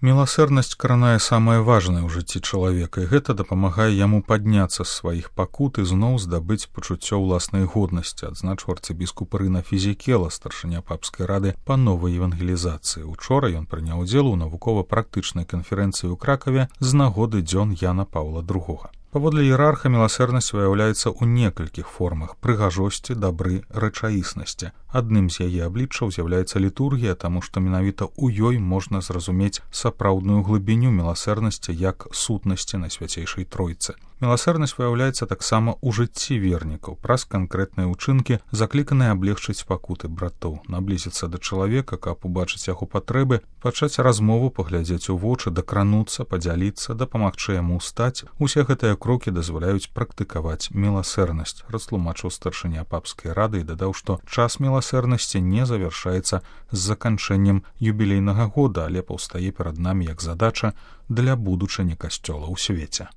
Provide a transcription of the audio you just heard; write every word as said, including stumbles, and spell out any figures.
Міласэрнасць кранае самае важнае ў жыцці чалавека, і гэта дапамагае яму падняцца з сваіх пакут і зноў здабыць пачуццё ўласнай годнасці, адзначыў арцыбіскуп Рына Фізікела, старшыня папскай рады па новай евангелізацыі. Учора ён прыняў удзел у навукова-практычнай канферэнцыі ў Кракаве з нагоды дзён Яна Паўла другога. Паводле іерарха міласэрнасць выяўляецца ў некалькіх формах прыгажосці, дабры, рэчаіснасці. Адным з яе абліччаў з'яўляецца літургія, таму што менавіта ў ёй можна зразумець сапраўдную глыбіню міласэрнасці як сутнасці на свяцейшай тройцы. Міласэрнасць выяўляецца таксама ў жыцці вернікаў, праз канкрэтныя ўчынкі, закліканыя аблегчыць пакуты братоў, наблізіцца да чалавека, каб убачыць яго патрэбы, пачаць размову, паглядзець у вочы, дакрануцца, падзяліцца, дапамагчы яму ўстаць. Усе гэтыя крокі дазваляюць практыкаваць міласэрнасць, растлумачыў старшыня папскай рады і дадаў, што час міласэрнасці не завяршаецца з заканчэннем юбілейнага года, але паўстае перад намі як задача для будучыні касцёла ў свеце.